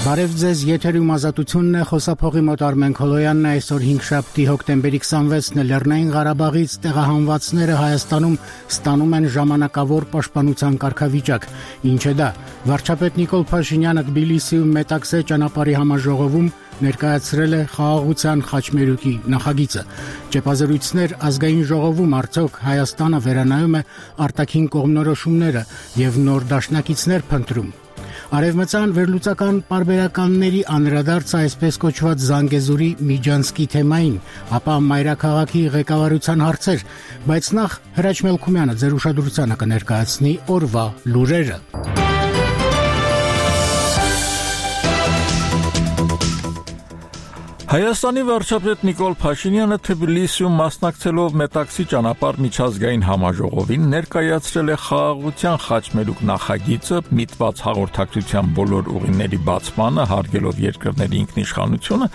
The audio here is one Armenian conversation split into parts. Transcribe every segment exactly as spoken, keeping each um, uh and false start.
Բարև ձեզ, եթերում ազատությունն է, խոսափողի մոտ Արմեն Քոլոյանն է, այսօր հինգշաբթի հոկտեմբերի քսանվեցն է, Լեռնային Ղարաբաղից տեղահանվածները Հայաստանում ստանում են ժամանակավոր պաշտպանության կարգավիճակ, ինչ է դա։ Վարչապետ Նիկոլ Փաշինյանը Թբիլիսիում Մետաքսե ճանապարհի համաժողովում ներկայացրել է խաղաղության խաչմերուկի նախագիծը։ Ճեպազրույցներ ազգային ժողովում արդյոք Հայաստանը վերանայում է արտաքին կողմնորոշումները եւ նոր դաշնակիցներ փնտրում։ Արևմտյան վերլուծական պարբերականների անդրադարձը այսպես կոչված Զանգեզուրի Միջանցքի թեմային, ապա մայրաքաղաքի ղեկավարության հարցեր, բայց նախ Հրաչ Մելքումյանը ձեր ուշադրությանը կներկայացնի օրվա լուրերը։ Հայաստանի վարչապետ Նիկոլ Փաշինյանը Թբիլիսիում մասնակցելով Մետաքսի ճանապարհ միջազգային համաժողովին ներկայացրել է խաղաղության խաչմերուկ նախագիծը, միտված հաղորդակցության բոլոր ուղիների բացմանը, հարգելով երկրների ինքնիշխանությունը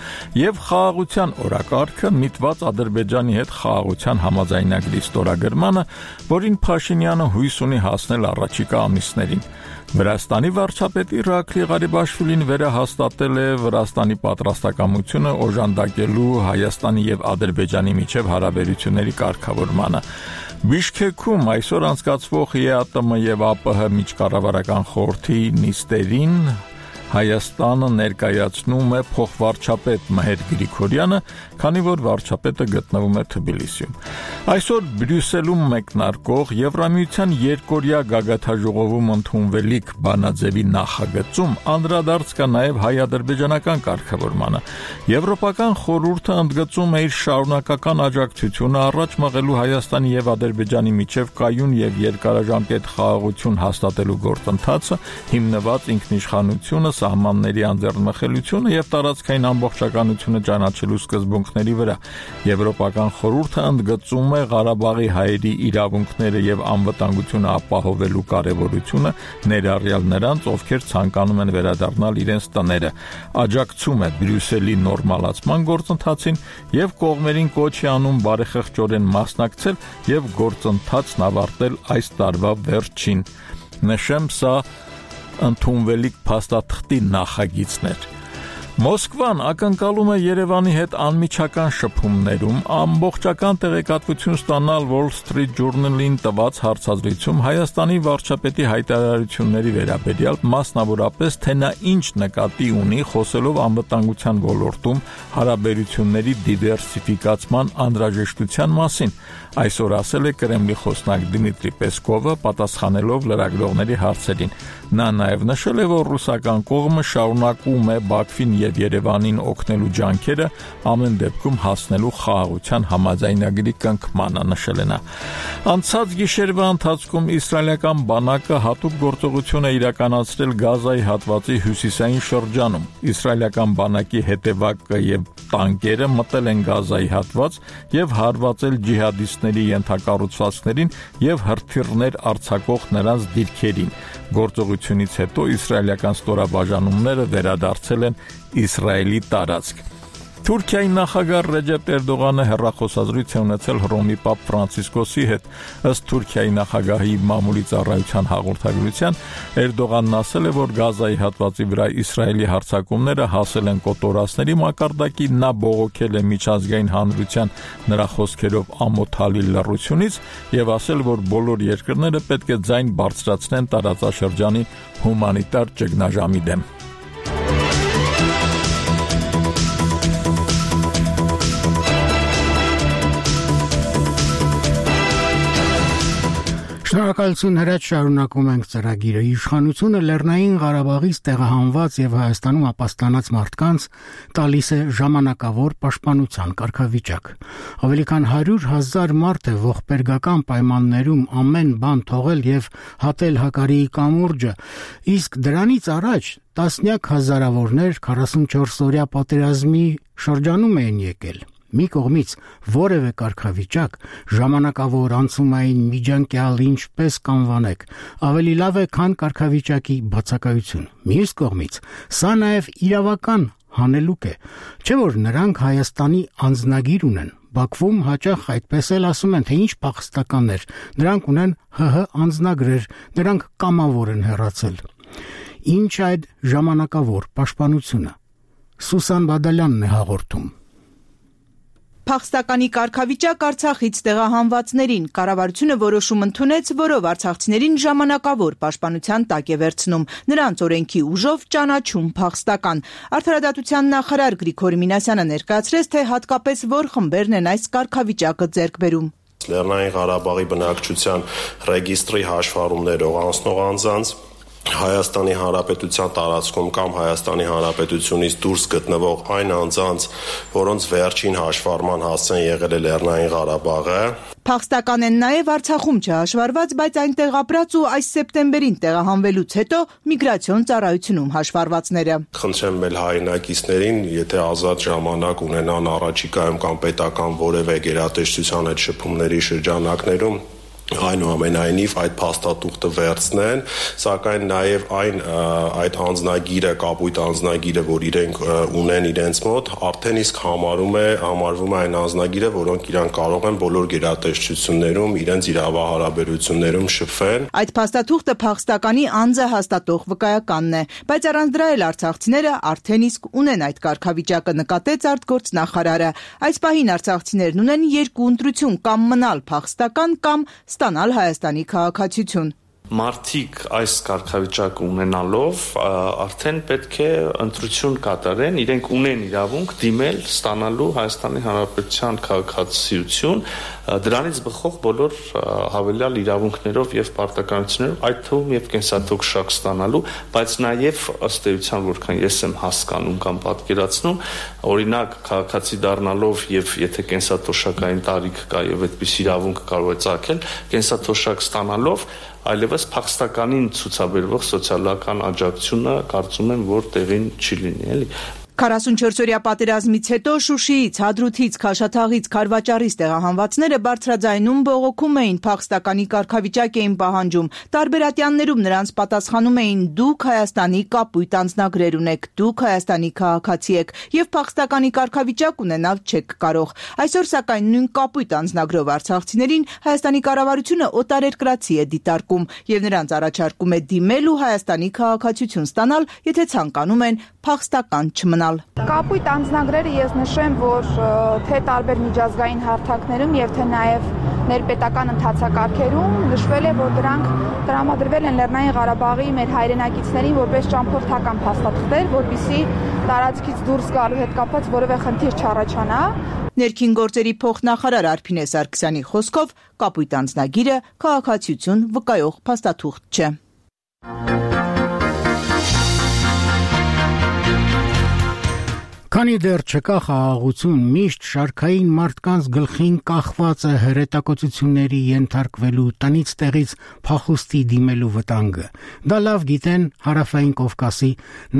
եւ խաղաղության օրակարգը, միտված Ադրբեջանի հետ խաղաղության համաձայնագրի ստորագրմանը, որին Փաշինյանը հույս ունի հասնել առաջիկա ամիսներին։ Վրաստանի վարչապետ Իրաքլի Ղարիբաշվիլին վերահաստատել է Վրաստանի պատրաստակամությունը օժանդակելու Հայաստանի եւ Ադրբեջանի միջև հարաբերությունների կարգավորմանը։ Բիշքեքում այսօր անցկացվող ԵԱՏՄ եւ ԱՊՀ միջկառավարական խորհրդի նիստերին Հայաստանը ներկայացնում է փոխվարչապետ Մհեր Գրիգորյանը, քանի որ վարչապետը գտնվում է Թբիլիսիում։ Այսօր Բրյուսելում մեկնարկող Եվրամիության երկօրյա գագաթաժողովում ընդունվելիք բանաձևի նախագծում անդրադարձ կա նաև հայ-ադրբեջանական կարգավորմանը։ Եվրոպական խորհուրդը ընդգծում է իր շարունակական աջակցությունը առաջ մղելու Հայաստանի եւ Ադրբեջանի միջև կայուն եւ երկարաժամկետ խաղաղություն հաստատելու գործընթացը, հիմնված ինքնիշխանությունը, սահմանների անձեռնմխելիությունը եւ տարածքային ամբողջականությունը ճանաչելու սկզբունքների վրա։ Եվրոպական խորհուրդը ընդգծում է Ղարաբաղի հայերի իրավունքները եւ անվտանգությունը ապահովելու կարեւորությունը, ներառյալ նրանց, ովքեր ցանկանում են վերադառնալ իրենց տները, աջակցում է Բրյուսելի նորմալացման գործընթացին եւ կողմերին կոչ է անում բարեխղճորեն մասնակցել եւ գործընթացն ավարտել այս տարվա վերջին։ Նշեմ, սա ընդունվելիք փաստաթղթի նախագիծներ։ Մոսկվան ակնկալում է Երևանի հետ անմիջական շփումներում ամբողջական տեղեկատվություն ստանալ Wall Street Journal-ին տված հարցազրույցում Հայաստանի վարչապետի հայտարարությունների վերաբերյալ, մասնավորապես թե նա ինչ նկատի ունի խոսելով անվտանգության ոլորտում հարաբերությունների դիվերսիֆիկացման անհրաժեշտության մասին։ Այսօր ասել է Կրեմլի խոսնակ Դմիտրի Պեսկովը, պատասխանելով լրագրողների հարցերին։ Նա նաև նշել է, որ ռուսական կողմը շարունակում է Բաքվին եւ Երևանին օգնելու ջանքերը, ամեն դեպքում հասնելու խաղաղության համաձայնագրի կնքմանը, նշել է նա։ Անցած գիշերվա ընթացքում իսրայելական բանակը հատուկ գործողություն է իրականացրել Գազայի հատվածի հյուսիսային շրջանում։ Իսրայելական բանակի հետևակը եւ տանկերը մտել են Գազայի հատված եւ հարվածել ջիհադիստների ենթակառուցվածքներին եւ հրթիռներ արձակող նրանց դիրքերին։ Գործողությունից հետո իսրայելական ստորաբաժանումները վերադարձել են Իսրայելի տարածք։ Թուրքիայի նախագահ Ռեջեփ Էրդողանը հեռախոսազրույց է ունեցել Հռոմի Պապ Ֆրանցիսկոսի հետ։ Ըստ Թուրքիայի նախագահի մամուլի ծառայության հաղորդագրության, Էրդողանն ասել է, որ Գազայի հատվածի վրա Իսրայելի հարձակումները հասել են կոտորածների մակարդակի, նա բողոքել է միջազգային հանրության նրա խոսքերով ամոթալի լռությունից եւ ասել, որ բոլոր երկրները պետք է ձայն բարձրացնեն տարածաշրջանի հումանիտար ճգնաժամի դեմ։ Շնորհակալություն, Հրաչ, շարունակում ենք ծրագիրը։ Իշխանությունը Լեռնային Ղարաբաղից տեղահանված եւ Հայաստանում ապաստանած մարդկանց տալիս է ժամանակավոր պաշտպանության կարգավիճակ։ Ավելի քան հարյուր հազար մարդ է ողբերգական պայմաններում ամեն բան թողել եւ հատել Հակարիի կամուրջը, իսկ դրանից առաջ տասնյակ հազարավորներ քառասունչորս օրյա պատերազմի շրջանում էին եկել։ Մի կողմից որևէ կարգավիճակ, ժամանակավոր, անցումային, միջանկյալ, ինչպես կանվանեք, ավելի լավ է, քան կարգավիճակի բացակայություն։ Մյուս կողմից, սա նաև իրավական հանելուկ է, չէ՞ որ նրանք Հայաստանի անձնագիր ունեն։ Բաքվում հաճախ այդպես էլ ասում են, թե ինչ փախստականներ, նրանք ունեն ՀՀ անձնագրեր, նրանք կամավոր են հեռացել։ Ինչ այդ ժամանակավոր պաշտպանությունը։ Սուսան Բադալյանն է հաղորդում։ Փախստականի կարգավիճակ Արցախից տեղահանվածներին կառավարությունը որոշում ընդունեց, որով արցախցիներին ժամանակավոր պաշտպանության տակ է վերցնում, նրանց օրենքի ուժով ճանաչում փախստական։ Արդարադատության նախարար Գրիգոր Մինասյանը ներկայացրեց, թե հատկապես որ խմբերն են այս կարգավիճակը ձեռք բերում։ Լեռնային Ղարաբաղի բնակչության ռեգիստրի հաշվառումներով անցնող անձանց, Հայաստանի Հանրապետության տարածքում կամ Հայաստանի Հանրապետությունից դուրս գտնվող այն անձանց, որոնց վերջին հաշվառման հասցեն եղել է Լեռնային Ղարաբաղը։ Փախստական են նաև Արցախում չհաշվառված, բայց այնտեղ ապրած ու այս սեպտեմբերին տեղահանվելուց հետո միգրացիոն ծառայությունում հաշվառվածները։ Խնդրեմ մեր հայրենակիցներին, եթե ազատ ժամանակ ունենան առաջիկայում կամ պետական որևէ գերատեսչության այդ շփումների շրջանակներում, այնուամենայնիվ այդ փաստաթուղթը վերցնեն, սակայն նաև այն այդ անձնագիրը, կապույտ անձնագիրը, որ իրենք ունեն իրենց մոտ, արդեն իսկ համարում է, համարվում է այն անձնագիրը, որոնք իրանք կարող են բոլոր գերատեսչություններում իրենց իրավահարաբերություններում շփվեն։ Այդ փաստաթուղթը փախստականի անձը հաստատող վկայականն է, բայց առանց դրա էլ արցախցիները արդեն իսկ ունեն այդ կարգավիճակը, նկատեց արտգործնախարարը։ Այս պահին արցախցիներն ունեն երկու ընտրություն՝ կամ մնալ փախստական, կամ ստանալ Հայաստանի քաղաքացիություն։ Մարդիկ այս կարգավիճակը ունենալով արդեն պետք է ընտրություն կատարեն, իրենք ունեն իրավունք դիմել ստանալու Հայաստանի Հանրապետության քաղաքացիություն, դրանից բխող բոլոր հավելյալ իրավունքներով եւ պարտականություններով, այդ թվում եւ կենսաթոշակ ստանալու, բայց նաեւ ըստ էության, որքան ես եմ հասկանում կամ պատկերացնում, օրինակ քաղաքացի դառնալով եւ եթե կենսաթոշակային տարիք կա եւ այդպես իրավունք կարող է ծագել, կենսաթոշակ ստանալով այլևս փախստականին ցուցաբերվող սոցիալական աջակցությունը կարծում եմ, որ տեղին չի լինի, էլի։ քառասունչորսօրյա պատերազմից հետո Շուշիից, Հադրութից, Քաշաթաղից, Քարվաճարից տեղահանվածները բարձրաձայնում բողոքում էին, փախստականի կարգավիճակ էին պահանջում։ Տարբեր ատյաններում նրանց պատասխանում էին՝ դուք Հայաստանի կապույտ անձնագրեր ունեք, դուք Հայաստանի քաղաքացի եք եւ փախստականի կարգավիճակ ունենալ չեք կարող։ Այսօր սակայն նույն կապույտ անձնագրով արցախցիներին Հայաստանի կառավարությունը օտարերկրացի է դիտարկում եւ նրանց առաջարկում է դիմել ու Հայաստանի քաղաքացիություն ստանալ, եթե ցանկանում են փախստական չմնալ։ Կապույտ անձնագրերը ես նշեմ, որ թե տարբեր միջազգային հարթակներում եւ թե նաեւ ներպետական ընթացակարգերում նշվել է, որ դրանք տրամադրվել են Լեռնային Ղարաբաղի մեր հայրենակիցներին որպես ճամփորդական փաստաթղթեր, որպեսզի տարածքից դուրս գալու հետ կապված որևէ խնդիր չառաջանա։ Ներքին գործերի փոխնախարար Արփինե Սարգսյանի խոսքով կապույտ անձնագիրը քաղաքացիություն վկայող փաստաթուղթ չէ։ Քանի դեռ չկա խաղաղություն, միշտ շարքային մարդկանց գլխին կախված է հրետակոծությունների ենթարկվելու, տնից տեղից փախուստի դիմելու վտանգը։ Դա լավ գիտեն Հարավային Կովկասի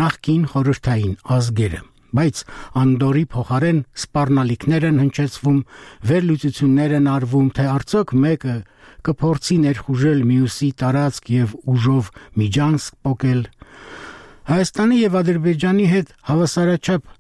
նախկին խորհրդային ազգերը։ Բայց Անդորի փոխարեն սպառնալիքներ են հնչեցվում, վերլուծություններ են արվում, թե արդյոք մեկը կփորձի ներխուժել մյուսի տարածք եւ ուժով միջանցք պոկել։ Հայաստանի եւ Ադրբեջանի հետ հավասարաչափ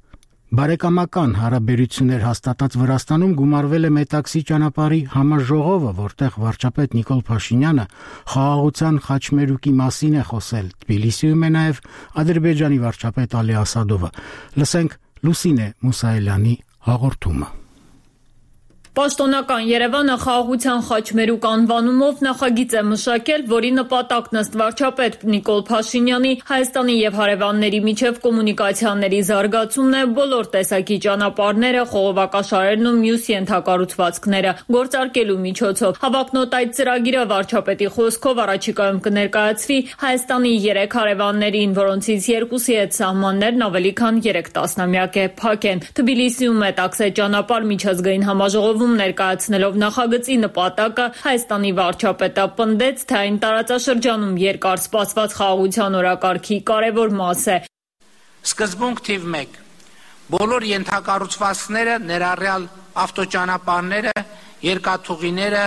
բարեկամական հարաբերություններ հաստատած Վրաստանում գումարվել է Մետաքսի ճանապարհի համաժողովը, որտեղ վարչապետ Նիկոլ Փաշինյանը խաղաղության խաչմերուկի մասին է խոսել։ Թբիլիսիում է նաև Ադրբեջանի վարչապետ Ալի Ասադովը։ Լսենք Լուսինե Մուսայելյանի հաղորդումը։ Պաշտոնական Երևանը խաղաղության խաչմերուկ անվանումով նախագիծ է մշակել, որի նպատակն ըստ վարչապետ Նիկոլ Փաշինյանի Հայաստանի եւ հարևանների միջև կոմունիկացիաների զարգացումն է, բոլոր տեսակի ճանապարհները, խողովակաշարերն ու մյուս ենթակառուցվածքները գործարկելու միջոցով։ Հավակնոտ այդ ծրագիրը վարչապետի խոսքով առաջիկայում կներկայացվի Հայաստանի երեք հարևաններին, որոնցից երկուսի հետ սահմաններն ավելի քան երեք տասնամյակ է փակ են։ Թբիլիսիում Մետաքսե ճանապարհ միջազգային համաժողովում ներկայացնելով նախագծի նպատակը Հայաստանի վարչապետը պնդեց, թե այն տարածաշրջանում երկար սպասված խաղաղության օրակարգի կարևոր մաս է։ Սկզբունք թիվ մեկ. բոլոր ենթակառուցվածքները, ներառյալ ավտոճանապարհները, երկաթուղիները,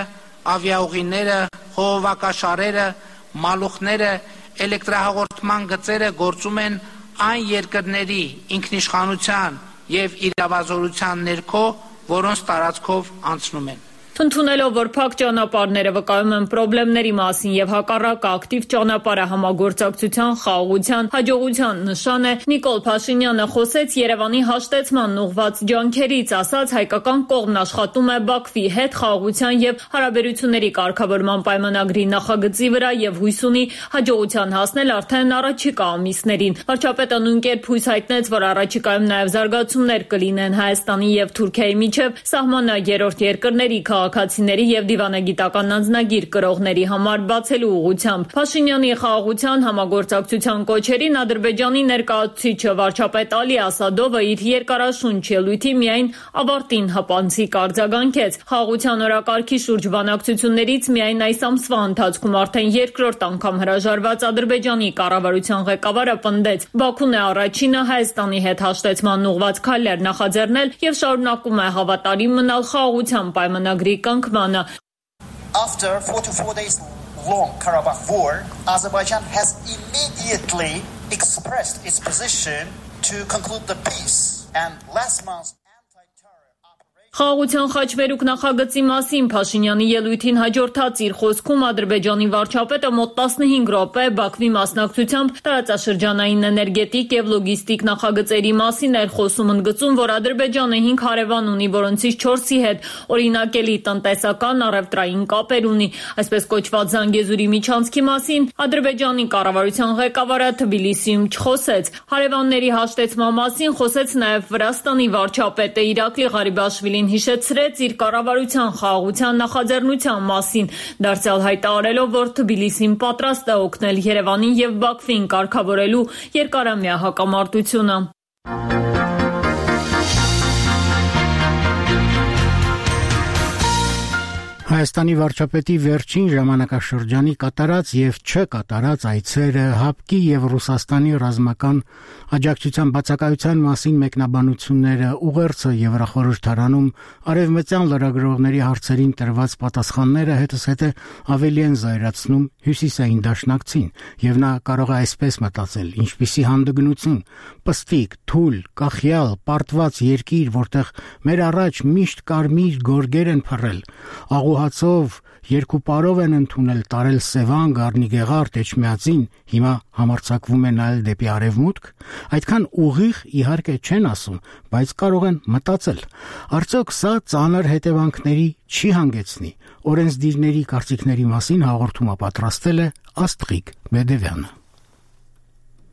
ավիաուղիները, խողովակաշարերը, մալուխները, էլեկտրահաղորդման գծերը գործում են այն երկրների ինքնիշխանության եւ իրավազորության ներքո, որոնց տարածքով անցնում են։ Ընդունելով, որ փակ ճանապարհները վկայում են խնդիրների մասին եւ հակառակը ակտիվ ճանապարհը համագործակցության, խաղաղության, հաջողության նշան է, Նիկոլ Փաշինյանը խոսեց Երևանի հաշտեցման ուղղված ջանքերից, ասաց հայկական կողմն աշխատում է Բաքվի հետ խաղաղության եւ հարաբերությունների կարգավորման պայմանագրի նախագծի վրա եւ հույս ունի հաջողության հասնել արդեն առաջիկա ամիսներին։ Վարչապետը նույնքերպ հույս հայտնեց, որ առաջիկայում նաեւ զարգացումներ կլինեն Հայաստանի եւ Թուրքիայի միջև սահմանը երրորդ երկրների քաղաքացիների եւ դիվանագիտական անձնագիր կրողների համար բացելու ուղղությամբ։ Փաշինյանի խաղաղության համագործակցության կոչերին Ադրբեջանի ներկայացուցիչը վարչապետ Ալի Ասադովը իր երկարաշունչ ելույթի միայն ավարտին հպանցիկ արձագանքեց։ Խաղաղության օրակարգի շուրջ բանակցություններից միայն այս ամսվա ընթացքում արդեն երկրորդ անգամ հրաժարված Ադրբեջանի կառավարության ղեկավարը պնդեց. Բաքուն է առաջինը Հայաստանի հետ հաշտեցման ուղղված քայլեր նախաձեռնել եւ շարունակում է հավատարիմ մնալ խաղաղության պայմանագրի կնքմանը։ After forty-four days long Karabakh war, Azerbaijan has immediately expressed its position to conclude the peace, and last month Խաղաղության խաչմերուկ նախագծի մասին Փաշինյանի ելույթին հաջորդած իր խոսքում Ադրբեջանի վարչապետը մոտ տասնհինգ րոպե Բաքվի մասնակցությամբ տարածաշրջանային էներգետիկ եւ լոգիստիկ նախագծերի մասին էր խոսում, ընդգծում, որ Ադրբեջանը հինգ հարևան ունի, որոնցից չորսի հետ օրինակելի տնտեսական առևտրային կապեր ունի։ Այսպես կոչված Զանգեզուրի միջանցքի մասին Ադրբեջանի կառավարության ղեկավարը Թբիլիսիում չխոսեց։ Հարևանների հաշտեցման մասին խոսեց նաեւ Վրաստանի վարչապետը Իրակլի Ղարիբաշվիլին հիշեցրեց իր կառավարության խաղաղության նախաձեռնության մասին, դարձյալ հայտարարելով, որ Թբիլիսին պատրաստ է օգնել Երևանին եւ Բաքվին կարգավորելու երկարամյա հակամարտությունը։ Հայաստանի վարչապետի վերջին ժամանակաշրջանի կատարած եւ չկատարած այցերը ՀԱՊԿ-ի եւ Ռուսաստանի ռազմական աջակցության բացակայության մասին մեկնաբանությունները, ուղերձը Եվրախորհրդարանում արևմտյան լրագրողների հարցերին տրված պատասխանները հետզհետե ավելի են զայրացնում հյուսիսային դաշնակցին, եւ նա կարող է այսպես մտածել. ինչպիսի հանդգնություն, պստիկ, թույլ, կախյալ, պարտված երկիր, որտեղ մեր առաջ միշտ կարմիր գորգեր են փռել, աղուհացով երկու պարով են ընդունել տարել Սևան, Գառնիգեղարդ, Էջմիածին, հիմա համարձակվում է նայել դեպի արևմուտք, այդքան ուղիղ իհարկե չեն ասում, բայց կարող են մտածել. արդյոք սա ծանր հետևանքների չի հանգեցնի։ Օրենսդիրների կարծիքների մասին հաղորդումը պատրաստել է Աստղիկ Բեդևյանը։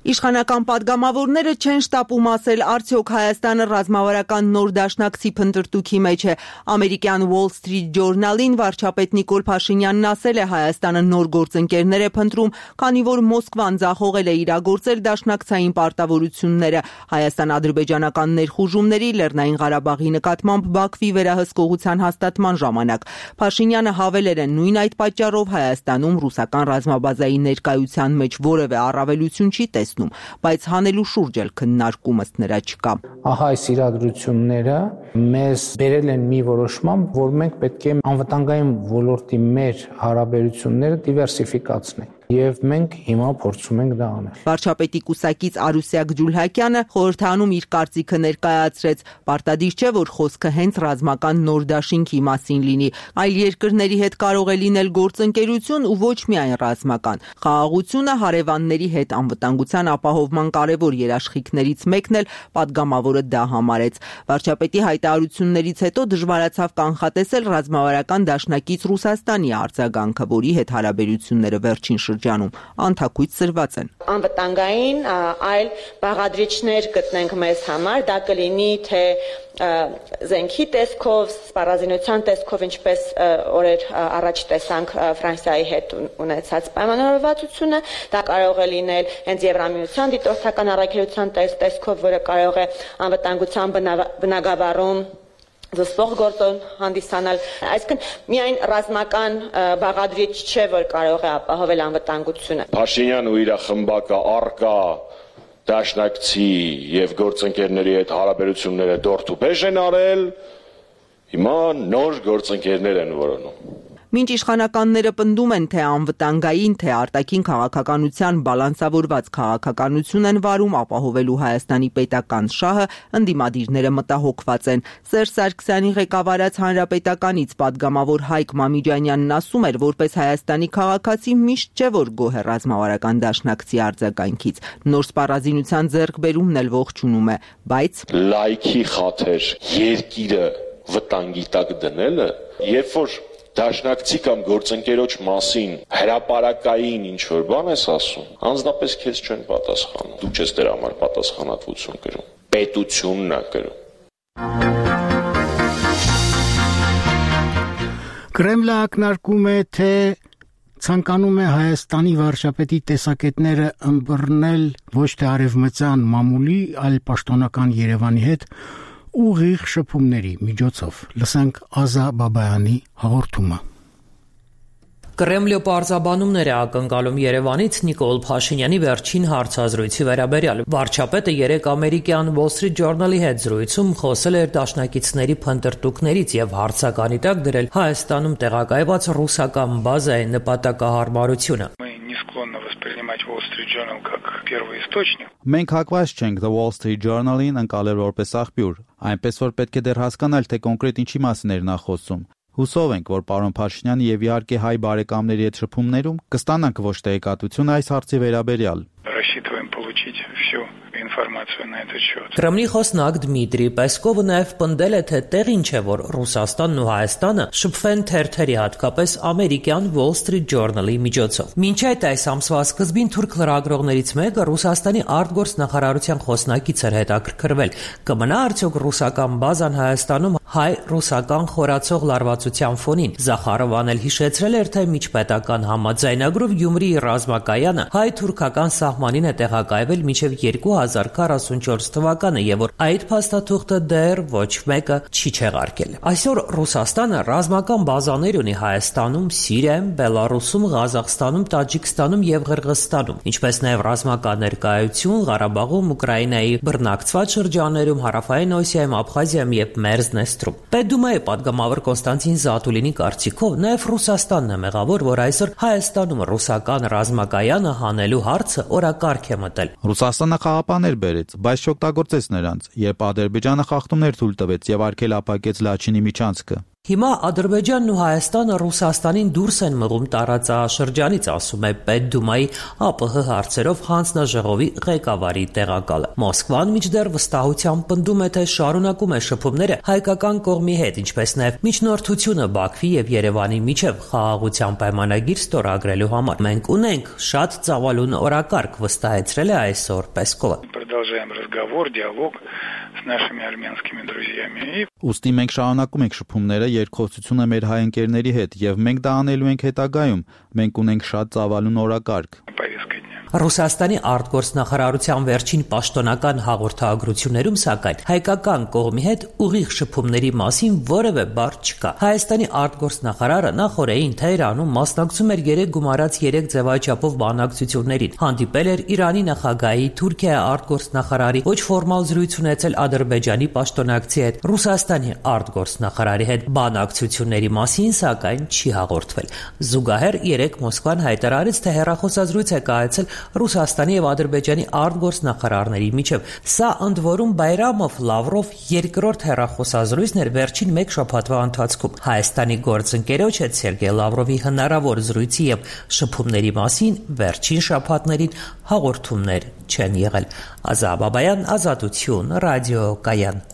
Իշխանական պատգամավորները չեն շտապում ասել, արդյոք Հայաստանը ռազմավարական նոր դաշնակցի փնտրտուքի մեջ է։ Ամերիկյան Wall Street Journal-ին վարչապետ Նիկոլ Փաշինյանն ասել է, Հայաստանը նոր գործընկերներ է փնտրում, քանի որ Մոսկվան ձախողել է իրագործել դաշնակցային պարտավորությունները Հայաստան-ադրբեջանական ներխուժումների, Լեռնային Ղարաբաղի նկատմամբ Բաքվի վերահսկողության հաստատման ժամանակ։ Փաշինյանը հավելել է, նույն այդ պատճառով Հայաստանում ռուսական ռազմաբազայի ներկայության մեջ որևէ առավելություն չի տեսնում, բայց հանելու շուրջ էլ քննարկումս նրա չկա։ Ահա այս իրադրությունները մեզ բերել են մի որոշման, որ մենք պետք է անվտանգային ոլորտի մեր հարաբերությունները դիվերսիֆիկացնենք։ Եվ մենք հիմա փորձում ենք դա անել։ Վարչապետի կուսակից Արուսյակ Ջուլհակյանը խորհրդանում իր կարծիքը ներկայացրեց. Պարտադիր չէ, որ խոսքը հենց ռազմական նոր դաշինքի մասին լինի, այլ երկրների հետ կարող է լինել գործընկերություն ու ոչ միայն ռազմական։ Խաղաղությունը հարևանների հետ անվտանգության ապահովման կարևոր երաշխիքներից մեկն էլ պատգամավորը դա համարեց։ Վարչապետի հայտարարություններից հետո դժվարացավ կանխատեսել ռազմավարական դաշնակից Ռուսաստանի արձագանքը, որի հետ հարաբերությունները վերջին շրջանում անթակույց սրված են։ Անվտանգային այլ բաղադրիչներ գտնենք մեզ համար, դա կլինի թե զենքի տեսքով, սպառազինության տեսքով, ինչպես օրեր առաջ տեսանք Ֆրանսիայի հետ ունեցած պայմանավորվածությունը, դա կարող է լինել հենց Եվրամիության դիտորդական առաքելության տեսքով, որը կարող է անվտանգության բնագավառում զսպող գործոն հանդիսանալ, այսինքն միայն ռազմական բաղադրիչ չէ, որ կարող է ապահովել անվտանգությունը։ Փաշինյանն ու իր խմբակը առկա դաշնակցի եւ գործընկերների հետ հարաբերությունները դորթուբեժ են արել, հիմա նոր գործընկերներ են որոնում։ Մինչ իշխանականները պնդում են, թե անվտանգային, թե արտաքին քաղաքականության բալանսավորված քաղաքականություն են վարում ապահովելու Հայաստանի պետական շահը, ընդդիմադիրները մտահոգված են։ Սերժ Սարգսյանի ղեկավարած Հանրապետականից պատգամավոր Հայկ Մամիջանյանն ասում էր, որպես Հայաստանի քաղաքացի միշտ չէ, որ գոհ է ռազմավարական դաշնակցի արձագանքից։ Նոր սպառազինության ձեռքբերումն էլ ողջունում է, բայց լայքի խաթեր երկիրը վտանգի տակ դնելը, երբ որ դաշնակցի կամ գործընկերոջ մասին հրապարակային ինչ որ բան ես ասում, անձնապես քեզ չեն պատասխանում։ Դու չես դրա համար պատասխանատվություն կրում։ Պետությունն է կրում։ Կրեմլը ակնարկում է, թե ցանկանում է Հայաստանի վարչապետի տեսակետները ըմբռնել ոչ թե արևմտյան մամուլի, այլ պաշտոնական Երևանի հետ ուղիղ շփումների միջոցով։ Լսենք Ազա Բաբայանի հաղորդումը։ Կրեմլը պարզաբանումներ է ակնկալում Երևանից Նիկոլ Փաշինյանի վերջին հարցազրույցի վերաբերյալ։ Վարչապետը երեկ ամերիկյան Wall Street Journal-ի հետ զրույցում խոսել էր դաշնակիցների փնտրտուքներից եւ հարցականի տակ դրել Հայաստանում տեղակայված ռուսական բազայի նպատակահարմարությունը։ Մենք հակված չենք The Wall Street Journal-ին ընկալել որպես աղբյուր, այնպես որ պետք է դեռ հասկանալ, թե կոնկրետ ինչի մասին էր նա խոսում։ Հուսով ենք, որ պարոն Փաշինյանը եւ իհարկե հայ բարեկամների հետ շփումներում կստանանք ոչ տեղեկատվություն այս հարցի վերաբերյալ։ Կրեմլի խոսնակ Դմիտրի Պեսկովը նաև պնդել է, թե տեղին չէ, որ Ռուսաստանն ու Հայաստանը շփվեն թերթերի, հատկապես ամերիկյան Wall Street Journal-ի միջոցով։ Մինչ այդ այս ամսվա սկզբին թուրք լրագրողներից մեկը Ռուսաստանի արտգործնախարարության խոսնակից էր հետաքրքրվել։ Կմնա արդյոք ռուսական բազան Հայաստանում հայ-ռուսական խորացող լարվածության ֆոնին։ Զախարովան էլ հիշեցրել էր, թե միջպետական համաձայնագրով Գյումրիի ռազմակայանը հայ-թուրքական սահմանին է տեղակայվել մինչև երկու հազար քառասունչորս թվականը եւ որ այդ փաստաթուղթը դեռ ոչ մեկը չի չեղարկել։ Այսօր Ռուսաստանը ռազմական բազաներ ունի Հայաստանում, Սիրիայում, Բելարուսում, Ղազախստանում, Տաջիկստանում եւ Ղրղըզստանում, ինչպես նաեւ ռազմական ներկայություն Ղարաբաղում, Ուկրաինայի բռնակցված շրջաններում, Հարավային Օսիայում, Աբխազիայում եւ Մերզնեստրում։ Պետդումայի падգամավոր Կոնստանտին Զատուլինի կարծիքով նաեւ Ռուսաստանն է մեղավոր, որ այսօր Հայաստանում ռուսական ռազմակայանը հանելու հարցը օրակարգ է մտել։ Ռուսաստանը խաղապաներ բերեց, բայց չօգտագործեց նրանց, երբ Ադրբեջանը խախտումներ թույլ տվեց եւ արգելափակեց Լաչինի միջանցքը։ Հիմա Ադրբեջանն ու Հայաստանը Ռուսաստանին դուրս են մղում տարածաշրջանից, ասում է Պետդումայի ԱՊՀ հարցերով հանձնաժողովի ղեկավարի տեղակալը։ Մոսկվան մինչդեռ վստահությամբ պնդում է, թե շարունակում է շփումները հայկական կողմի հետ, ինչպես նաև միջնորդությունը Բաքվի եւ Երևանի միջև խաղաղության պայմանագիր ստորագրելու համար։ Մենք ունենք շատ ծավալուն օրակարգ, վստահեցրել է այսօր Պեսկովը։ Ուստի մենք շարունակում ենք շփումները, երկխոսությունը մեր հայ ընկերների հետ եւ մենք դա անելու ենք հետագայում։ Մենք ունենք շատ ծավալուն օրակարգ։ Ռուսաստանի արտգործնախարարության վերջին պաշտոնական հաղորդագրություններում, սակայն, հայկական կողմի հետ ուղիղ շփումների մասին որևէ բառ չկա։ Հայաստանի արտգործնախարարը նախորդին Թեհրանում մասնակցում էր երեք գումարած երեք ձևաչափով բանակցություններին, հանդիպել էր Իրանի նախագահի, Թուրքիայի արտգործնախարարի, ոչ ֆորմալ զրույց ունեցել Ադրբեջանի պաշտոնակցի հետ, Ռուսաստանի արտգործնախարարի հետ բանակցությունների մասին, սակայն, չի հաղորդվել։ Զուգահեռ երեք Մոսկվան հայտարարեց, թե հեռախոսազրույց է կայացել Ռուսաստանի եւ Ադրբեջանի արտգործնախարարների միջև։ Սա ընդ որում Բայրամով Լավրով երկրորդ հեռախոսազրույցն էր վերջին մեկ շաբաթվա ընթացքում։ Հայաստանի գործընկերոջ հետ Սերգեյ Լավրովի հնարավոր զրույցի եւ շփումների մասին վերջին շաբաթներին հաղորդումներ չեն եղել։ Ազա Բաբայան, Ազատություն, Ռադիո Կայան։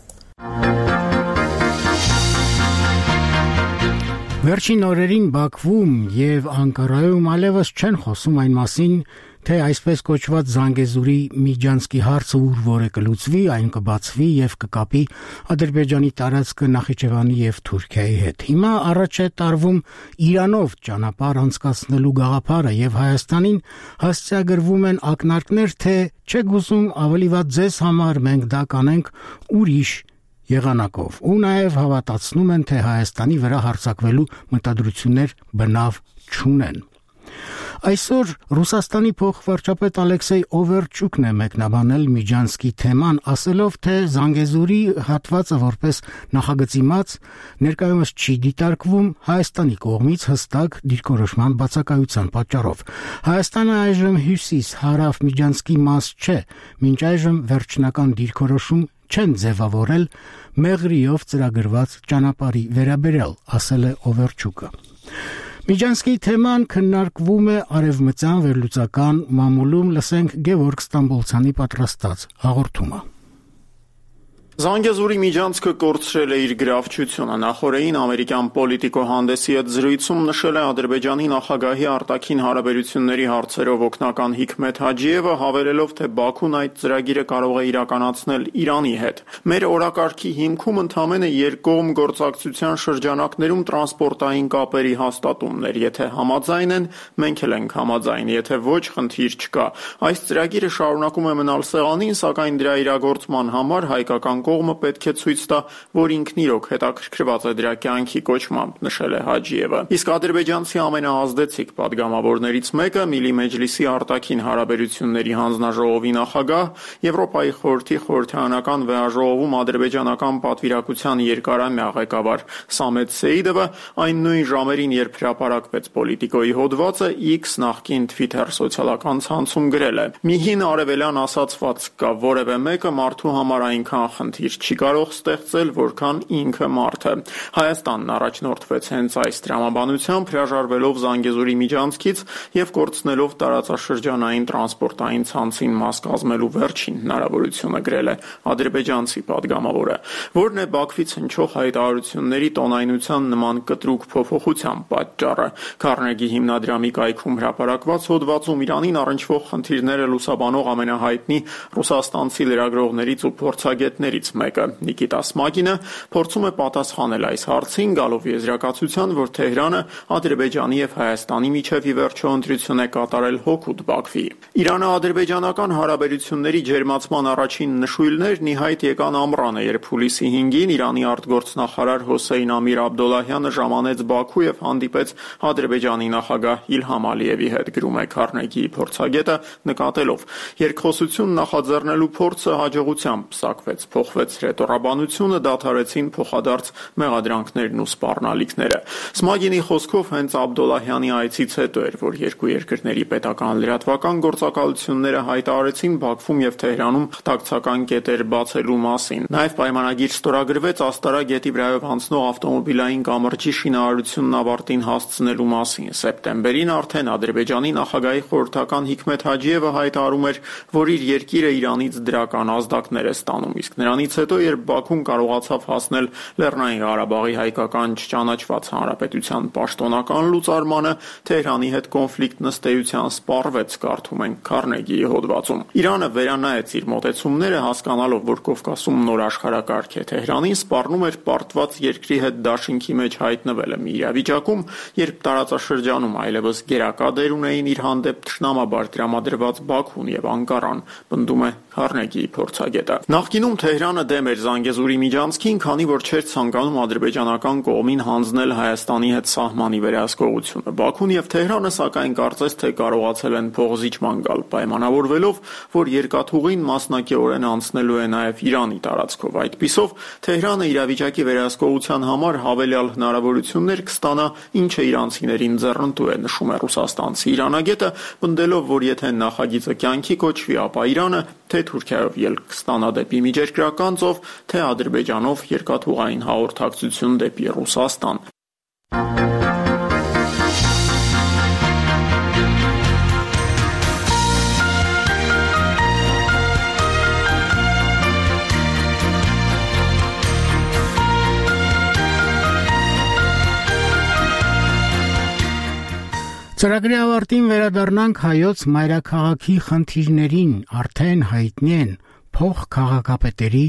Վերջին օրերին Բաքվում եւ Անկարայում այլևս չեն խոսում այն մասին, թե այսպես կոչված Զանգեզուրի Միջանցքի հարցը ուր որ է կլուծվի, այն կբացվի եւ կկապի Ադրբեջանի տարածքը Նախիջևանի եւ Թուրքիայի հետ։ Հիմա առաջ է տարվում Իրանով ճանապարհ անցկացնելու գաղափարը եւ Հայաստանին հասցեագրվում են ակնարկներ, թե չեք ուզում ավելի վատ ձեզ համար մենք դա կանենք ուրիշ եղանակով, ու նաև հավատացնում են, թե Հայաստանի վրա հարձակվելու մտադրություններ բնավ չունեն։ Այսօր Ռուսաստանի փոխվարչապետ Ալեքսեյ Օվերչուկն է մեկնաբանել Միջանսկի թեման, ասելով, թե Զանգեզուրի հատվածը որպես նախագծի մած ներկայումս չի դիտարկվում Հայաստանի կողմից հստակ դիրքորոշման բացակայության պատճառով։ Հայաստանը այժմ հյուսիս-հարավ Միջանսկի մաս չէ, մինչ այժմ վերջնական դիրքորոշում չեն ձևավորել մեղրիով ծրագրված ճանապարհի վերաբերյալ, ասել է Օվերչուկը։ Միջանսկի թեման քննարկվում է արևմտյան վերլուծական մամուլում, լսենք Գևորգ Ստամբոլցյանի պատրաստած հաղորդումը։ Զանգեզուրի միջանցքը կորցրել է իր գրավչությունը։ Նախորդին ամերիկյան պոլիտիկո հանդեսի հետ զրույցում նշել է Ադրբեջանի նախագահի արտաքին հարաբերությունների հարցերով օգնական Հիքմեթ Հաջիևը, հավելելով, թե Բաքուն այդ ծրագիրը կարող է իրականացնել Իրանի հետ։ Մեր օրակարգի հիմքում ընդամենը երկկողմ գործակցության շրջանակներում տրանսպորտային կապերի հաստատումներ, եթե համաձայն են, մենք էլ ենք համաձայն, եթե ոչ, խնդիր չկա։ Այս ծրագիրը շարունակում է մնալ սեղանին, սակայն դրա իրագործման համար հայկական կողմը պետք է ցույց տա, որ ինքն իրոք հետաքրքրված է դրա կյանքի կոչմամբ, նշել է Հաջիևը։ Իսկ ադրբեջանցի ամենաազդեցիկ պատգամավորներից մեկը Միլի Մեջլիսի արտաքին հարաբերությունների հանձնաժողովի նախագահ, Եվրոպայի խորհրդի խորհրդարանական վեհաժողովում ադրբեջանական պատվիրակության երկարամյա ղեկավար Սամետ Սեիդովը այն նույն ժամերին, երբ հրապարակվեց Պոլիտիկոյի հոդվածը, X նախկին Twitter սոցիալական ցանցում գրել է. «Մի հին արևելյան ասացված կա, որևէ մեկը մարդու համար այնքան խնդիր չի կարող ստեղծել, որքան ինքը մարդը»։ Հայաստանն առաջնորդվեց հենց այս տրամաբանությամբ, հրաժարվելով Զանգեզուրի միջանցքից եւ կորցնելով տարածաշրջանային տրանսպորտային ցանցին մաս կազմելու վերջին հնարավորությունը, գրել է ադրբեջանցի պատգամավորը, որն է Բաքվից հնչող հայտարարությունների տոնայնության նման կտրուկ փոփոխության պատճառը։ Քարնեգի հիմնադրամի կայքում հրապարակված հոդվածում Իրանին առնչվող խնդիրները լուսաբանող ամենահայտնի ռուսաստանցի լրագրողներից ու փորձագետներից մեկը Նիկիտա Սմագինը փորձում է պատասխանել այս հարցին, գալով եզրակացության, որ Թեհրանը Ադրբեջանի եւ Հայաստանի միջև ի վերջո ընտրություն է կատարել հօգուտ Բաքվի։ Իրано-ադրբեջանական հարաբերությունների ջերմացման առաջին նշույլներն ի հայտ եկան ամռանը, երբ հուլիսի հինգին Իրանի արտգործնախարար Հոսեյն Ամիր Աբդոլլահյանը ժամանեց Բաքու եւ հանդիպեց Ադրբեջանի նախագահ Իլհամ Ալիևի հետ, գրում է Քարնեգիի փորձագետը, նկատելով. «Երկխոսություն նախաձեռնելու փորձը հաջողությամբ պսակվեց, փոխվեց հրետորաբանությունը, դադարեցին փոխադարձ մեղադրանքներն ու սպառնալիքները»։ Սմագինի խոսքով հենց Աբդոլլահյանի այցից հետո էր, որ երկու երկրների պետական լրատվական գործակալությունները հայտարարեցին Բաքվում եւ Թեհրանում խտակցական կետեր բացելու մասին։ Նաեւ պայմանագիր ստորագրվեց Աստարա գետի վրայով անցնող ավտոմոբիլային կամրջի շինարարությունն ավարտին հասցնելու մասին։ Սեպտեմբերին արդեն Ադրբեջանի նախագահի խորհրդական Հիքմեթ Հաջիևը հայտարարում էր, որ իր երկիրը Իրանից դրական ազդակներ է ստանում, իսկ նրանից հետո, երբ Բաքուն կարողացավ հասնել Լեռնային Ղարաբաղի հայկական չճանաչված հանրապետության պաշտոնական լուծարմանը, Թեհրանի հետ կոնֆլիկտն ըստ էության սպառվեց, կարդում ենք Քարնեգիի հոդվածում։ Իրանը վերանայեց իր մոտեցումները, հասկանալով, որ Կովկասում նոր աշխարհակարգ է Թեհրանին, սպառնում էր պարտված երկրի հետ դաշինքի մեջ հայտնվելը մի իրավիճակում, երբ տարածաշրջանում այլևս գերակա դեր ունեին իր հանդեպ թշնամաբար տրամադրված Բաքուն եւ Անկարան, պնդում է Քարնեգիի փորձագետը։ Նախկինում Թեհրանը դեմ էր Զանգեզուրի միջանցքին, քանի որ չէր ցանկանում ադրբեջանական կողմին հանձնել Հայաստանի հետ սահմանի վերահսկողությունը։ Բաքուն եւ Թեհրանը սակայն կարծես թե կարողացել են փողզիջման գալ, պայմանավորվելով, որ երկաթուղին մասնակիորեն անցնելու է նաեւ Իրանի տարածքով։ Այդպիսով Թեհրանը իրավիճակի վերահսկողության համար հավելյալ հնարավորություններ կստանա, ինչը իրանցիներին ձեռնտու է, նշում է ռուսաստանցի իրանագետը, պնդելով, որ եթե նախագիծը կյանքի կոչվի, ապա Իրանը թե Թուրքիայով ելք կստանա դեպի Միջերկրական ծով, թե Ադրբեջանով երկաթուղային հաղորդակցություն դեպի Ռուսաստան։ Ծրագրի ավարտին վերադառնանք հայոց մայրաքաղաքի խնդիրներին, արդեն հայտնի են փոխքաղաքապետերի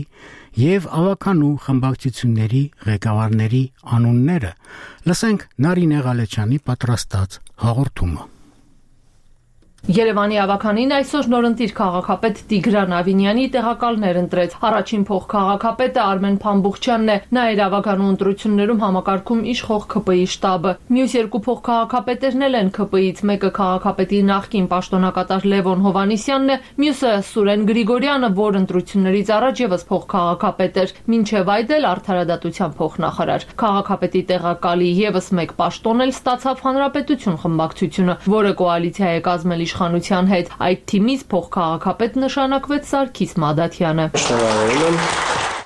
եւ ավականու խմբակցությունների ղեկավարների անունները։ Լսենք Նարինե Ղալեչյանի պատրաստած հաղորդումը։ Երևանի ավականին այսօր նորընտիր քաղաքապետ Տիգրան Ավինյանի տեղակալներ ընտրեց։ Առաջին փոխքաղաքապետը Արմեն Փամբուխչյանն է, նա էր ավականու ընտրություններում համակարգում իշխող ՔՊԻ շտաբը։ Մյուս երկու փոխքաղաքապետերն էլ են ՔՊԻ-ից, մեկը քաղաքապետի նախկին պաշտոնակատար Լևոն Հովանիսյանն է, մյուսը Սուրեն Գրիգորյանը, որ ընտրություններից առաջ եւս փոխքաղաքապետ էր, մինչեւ այդ էլ արդարադատության փոխնախարար։ Քաղաքապետի տեղակալի եւս մեկ պաշտոն էլ ստացավ Հանրապետություն խմբակցությունը, որը կոալիցիա է կազմել իշխանության հետ։ Այդ թիմից փոխքաղաքապետ նշանակվեց Սարգիս Մադաթյանը։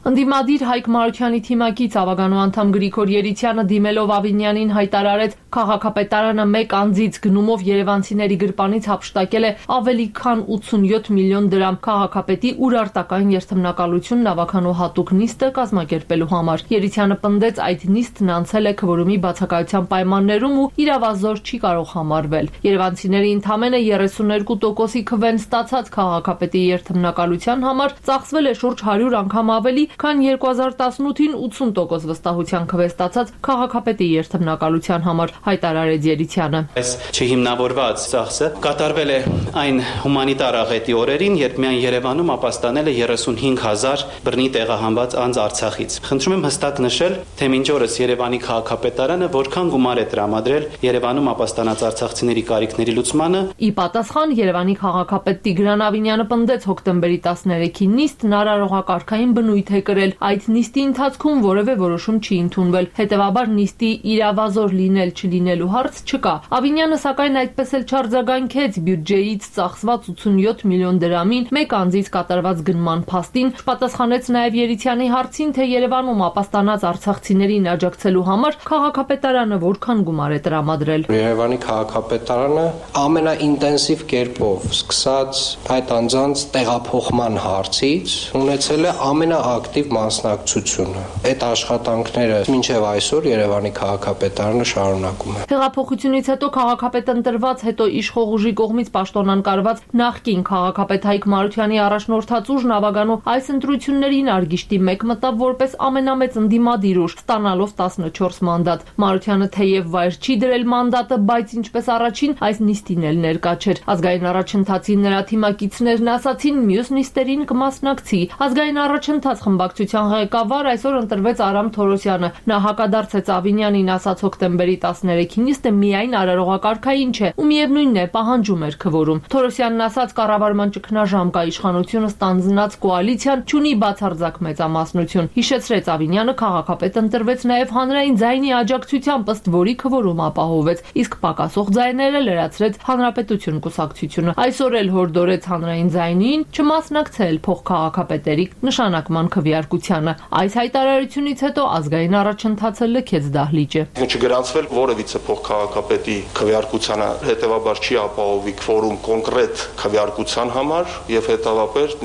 Ընդդիմադիր Հայկ Մարությանի թիմակից ավականու անդամ Գրիգոր Երիցյանը դիմելով Ավինյանին հայտարարեց, քաղաքապետարանը մեկ անձից գնումով երևանցիների գրպանից հափշտակել է ավելի քան ութսունյոթ միլիոն դրամ քաղաքապետի ուրարտական երթմնակալությունն ավականու հատուկ նիստը կազմակերպելու համար։ Երիցյանը պնդեց, այդ նիստն անցել է քվորումի բացակայության պայմաններում ու իրավազոր չի կարող համարվել։ Երևանցիների ընդամենը երեսուններկու տոկոսի քվեն ստացած քաղաքապետի երթմնակալության համար ծախսվել է շուրջ հարյուր անգամ ավելի, քան երկու հազար տասնութին ութսուն տոկոս վստահության քվե ստացած քաղաքապետի երթմնակալության համար, հայտարարեց Երիցյանը։ Այս չհիմնավորված ծախսը կատարվել է այն հումանիտար աղետի օրերին, երբ միայն Երևանում ապաստանել է երեսունհինգ հազար բռնի տեղահանված անձ Արցախից։ Խնդրում եմ հստակ նշել, թե մինչ օրս Երևանի քաղաքապետարանը որքան գումար է տրամադրել Երևանում ապաստանած արցախցիների կարիքների լուծմանը։ Ի պատասխան Երևանի քաղաքապետ Տիգրան Ավինյանը պնդեց հոկտեմբերի տասներեքի նիստն արարողակարգային բնույթ է կրել, այդ նիստի ընթացքում որևէ որոշում չի ընդունվել, հետևաբար նիստի իրավազոր լինել չլինելու հարց չկա։ Ավինյանը սակայն այդպես էլ չարձագանքեց բյուջեից ծախսված ութսունյոթ միլիոն դրամին մեկ անձից կատարված գնման փաստին, պատասխանեց նաև Երիցյանի հարցին, թե Երևանում ապաստանած արցախցիներին աջակցելու համար քաղաքապետարանը որքան գումար է տրամադրել։ Երևանի քաղաքապետարանը ամենաինտենսիվ կերպով սկսած այդ անձանց տեղափոխման հարցից ունեցել է ամենաակտիվ մասնակցությունը։ Այդ աշխատանքները մինչև այսօր Երևանի քաղաքապետարանը շարունակում է։ Հեղափոխությունից հետո քաղաքապետ ընտրված, հետո իշխող ուժի կողմից պաշտոնանկարված նախկին քաղաքապետ Հայկ Մարությանի առաջնորդած ուժն ավականու այս ընտրություններին արգիշտի մեկ մտավ որպես ամենամեծ ընդդիմադիր ուժ, ստանալով տասնչորս մանդատ։ Մարությանը թեև վայր չի դրել մանդատը, բայց ինչպես առաջին, այս նիստին էլ ներկա չէր։ Ազգային առաջընթացի նրա թիմակիցներն ասացին, մյուս նիստերին կմասնակցի։ Ազգային առաջընթաց խմբակցության ղեկավար այսօր ընտրվեց Արամ Թորոսյանը։ Նա հակադարձեց Ավինյանին, ասաց հոկտեմբերի տասներեքի նիստը միայն արարողակարգային չէ ու միևնույնն է պահանջում էր քվորում։ Թորոսյանն ասաց, կառավարման ճգնաժամ կա, իշխանությունը ստանձնած կոալիցիան չունի բացարձակ մեծամասնություն։ Հիշեցրեց Ավինյանը, քաղաքապետ ընտրվեց նաև հանրային ձայնի աջակցությամբ, ըստ որի քվորում ապահովեց, իսկ պակասող ձայները լրացրեց Հանրապետություն կուսակցությունը։ Այսօր էլ հորդորեց հանրային ձայնին չմասնակցել փոխքաղաքապետերի նշանակման քվեարկությանը։ Այս հայտարարությունից հետո ազգային առաջընթացը լքեց դահլիճը։ Չգրանցվել որևիցե փոխքաղաքապետի քվեարկությանը, հետևաբար չի ապահովի քվորում կոնկրետ քվեարկության համար եւ հետեւաբար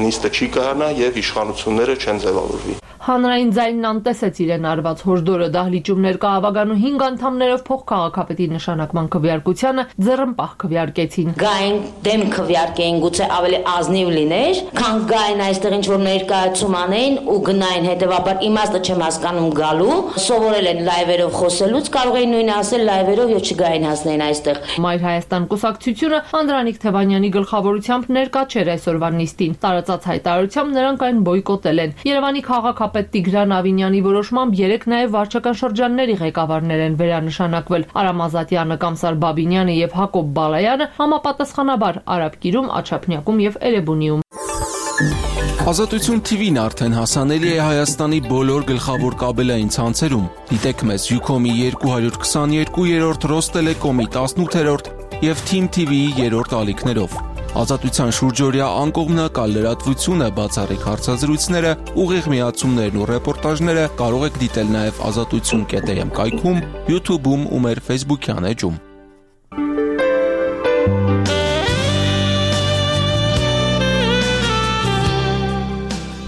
նիստը չի կայանա եւ իշխանությունները չեն ձևավորվի։ Հանրային ձայնն անտեսեց իրեն արված հորդորը, դահլիճում ներկա ավականու հինգ անդամներով փոխքաղաքապետի նշանակման քվեարկությանը ձեռնպահ քվեարկեցին։ Գային դեմ քվեարկեին, գուցե ավելի ազնիվ լիներ, քան գային այստեղ ինչ որ ներկայացում անեին ու գնային, հետեւաբար իմաստը չեմ հասկանում գալու, սովորել են լայվերով խոսելուց, կարող էին նույնը ասել լայվերով եւ չգային հասնեին այստեղ։ Մայր Հայաստան կուսակցությունը Անդրանիկ Թևանյանի գլխավորությամբ ներկա չէր այսօրվա նիստին։ Տարածած հայտարարությամբ նրանք այն բոյկոտել են։ Երևանի քաղաքապետ Տիգրան Ավինյանի որոշմամբ երեք նաև վարչական շրջանների ղեկավարներ են վերանշանակվել։ Արամ Ազատյանը, Կամսար Բաբինյանը եւ Հակոբ Բալայանը համապատասխանաբար Արաբկիրում, Աչափնյակում եւ Էրեբունիում։ Ազատություն թիվին արդեն հասանելի է Հայաստանի բոլոր գլխավոր կաբելային ցանցերում։ Դիտեք մեզ Յուքոմի երկու քսաներկու, Ռոստելեկոմի տասնութերորդ եւ Թիմ թի վիի երրորդ ալիքներով։ Ազատության շուրջօրյա անկողմնակալ լրատվությունը, բացառիկ հարցազրույցները, ուղիղ միացումներն ու ռեպորտաժները կարող եք դիտել նաև ազատություն կետ էմ կայքում, YouTube-ում ու մեր Facebook-յան էջում։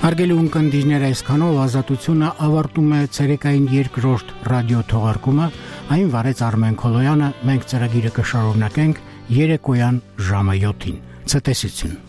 Հարգելի ունկնդիրներ, այսքանով ազատությունը ավարտում է ցերեկային երկրորդ ռադիո թողարկումը, այն վարեց Արմեն Քոլոյանը, մենք ծրագիրը կշարունակենք երեկոյան ժամը յոթին։ Ցտեսություն։